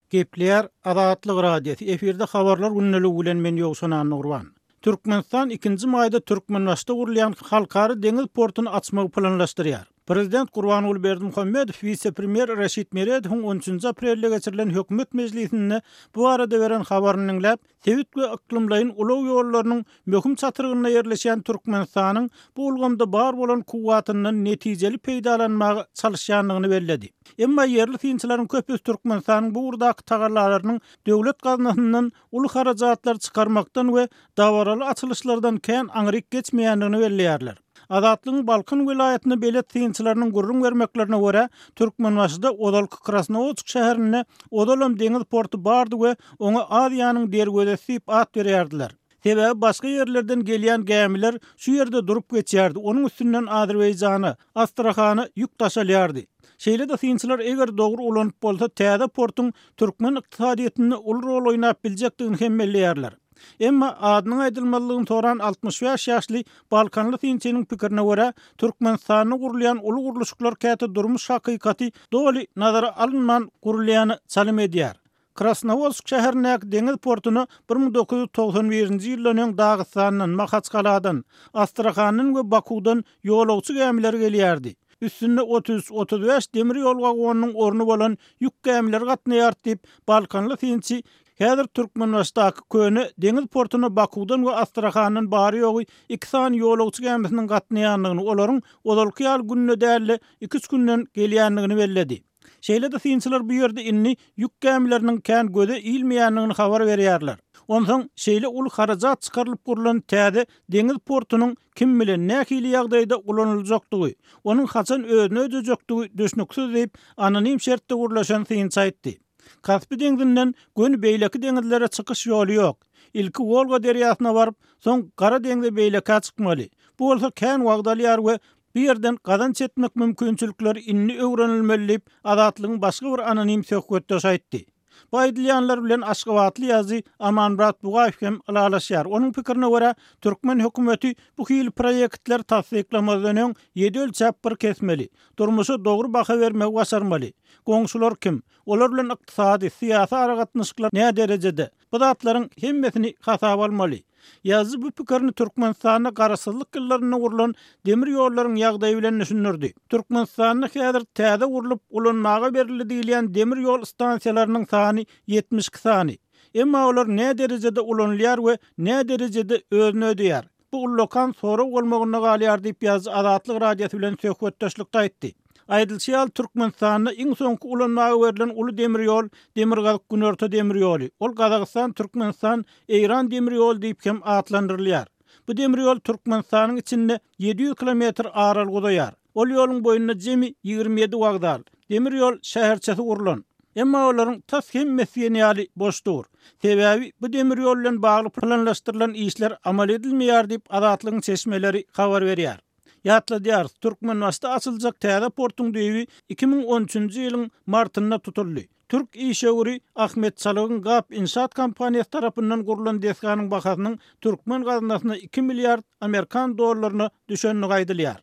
Gepleýär Azatlyk Radiosy, efirde Habarlar gündeligi bilen men Ýowşan Annagurban. Türkmenistan ikinji maýda Türkmenbaşyda gurulýan Halkara deňiz portuny açmagy planlaşdyrýar. Prezident Gurbanguly Berdimuhamedow wise-premýer Reşit Meredowyň on üçünji aprelde geçirilen hökümet mejlisinde bu barada beren habaryny diňläp, Sebit we yklymlaýyn ulag ýollarynyň möhüm çatrygynda ýerleşýän Türkmenistanyň bu ulgamda bar bolan kuwwatyndan netijeli peýdalanmaga çalyşýandygyny belledi. Emma ýerli synçylaryň köpüsi Türkmenistanyň bu ugurdaky tagallalarynyň döwlet gaznasyndan uly harajatlar çykarmakdan we dabaraly açylyşlardan kän aňryk geçmeýändigini belleýärler. Azatlygyň Balkan welaýatyna belet synçylarynyň gürrüň bermeklerine görä, Türkmenbaşyda ozalky Krasnowodsk şäherinde ozalam deňiz porty bardy we oňa Aziýanyň derwezesi diýip at berýärdiler. Sebäbi başga ýerlerden gelýän gämiler şu ýerde durup geçýärdi, onuň üstünden Azerbaýjana, Astrahana ýük daşalýardy. Şeýle-de synçylar eger dogry ulanyp bolsa täze portuň türkmen ykdysadyýetinde uly rol oýnap biljekdigini hem belleýärler. Emma adynyň aýdylmazlygyny soran 65 ýaşly balkanly synçynyň pikirine görä, Türkmenistanda gurulýan uly gurluşyklar käte durmuş hakykaty doly nazara alynman gurulýana çalym edýär. Krasnowodsk şäherindäki deňiz portuna 1991-nji ýyldan öň Dagystandan, Mahaçkaladan, Astrahandan we Bakuwdan ýolagçy gämileri gelýärdi. Üstünde 33, 35 demir ýol wagonynyň orny bolan ýük gämileri gatnaýardy diýip, balkanly synçy Häzir Türkmenbaşydaky köne deňiz portuna Bakuwdan we Astrahandan bary-ýogy iki sany ýolagçy gämisiniň gatnaýandygyny, olaryň ozalky ýaly günde däl-de, iki-üç günden gelýändigini belledi. Şeýle-de synçylar bu ýerde indi ýük gämileriniň kän göze ilmeýändigini habar berýärler. Onsoň şeýle uly harajat çykarylyp gurlan täze deňiz portunyň kim bilen, nähili ýagdaýda ulanyljakdygy, onuň haçan özüni ödejekdigi düşnüksiz diýip, anonim şertde gürleşen synçy aýtdy. Kaspi deňzinden göni beýleki deňizlere çykyş ýoly ýok. Ilki Wolga derýasyna baryp, soň Gara deňze beýlekä çykmaly. Bu bolsa kän wagt alýar we bu ýerden gazanç etmek mümkinçilikleri indi öwrenilmeli diýip, Azatlygyň başga bir anonim söhbetdeşi aýtdy. Bu aýdylýanlar bilen aşgabatly ýazyjy Amanmyrat Bugaýew hem ylalaşýar. Onuň pikirine görä, türkmen hökümeti bu hili proýektleri tassyklamazdan öň ýedi ölçäp bir kesmeli. Durmuşa dogry baha bermegi başarmaly. Goňşular kim? Olar bilen ykdysady, syýasy aragatnaşyklar näderejede? Bu zatlaryň hemmesini hasaba almaly. Ýazyjy bu pikirini Türkmenistanda garaşsyzlyk ýyllarynda gurlan demir ýollaryň ýagdaýy bilen düşündirdi. Türkmenistanda häzir täze gurlup, ulanmaga berildi diýilýän demir ýol stansiýalarynyň sany 72 sany. Emma olar näderejede ulanylýar we näderejede özüni ödeýär? Bu ullakan sorag bolmagynda galýar diýip, ýazyjy Azatlyk Radiosy bilen söhbetdeşlikde aýtdy. Aýdylyşy ýaly, Türkmenistanda iň soňky ulanmaga berlen uly demir ýol Demirgazyk-Günorta demir ýoly, ol Gazagystan-Türkmenistan Eýran demir ýoly diýip hem atlandyrylýar. Bu demir ýol Türkmenistanyň içinde 700 kilometr aralyk uzaýar. Ol ýoluň boýunda jemi 27 wokzal, demir ýol şäherçesi gurlan. Emma olaryň tas hemmesi diýen ýaly boş dur. Sebäbi bu demir ýol bilen bagly planlaşdyrylan işler amal edilmeýär diýip, Azatlygyň çeşmeleri habar berýär. Ýatladýarys, Türkmenbaşyda açyljak täze portuň düýbi 2013-nji ýylyň martynda tutuldy. Türk işewüri Ahmet Çalygyň Gap Inşaat kompaniýasy tarapyndan gurlan desganyň bahasynyň türkmen gaznasyna iki milliard amerikan dollaryna düşendigi aýdylýar.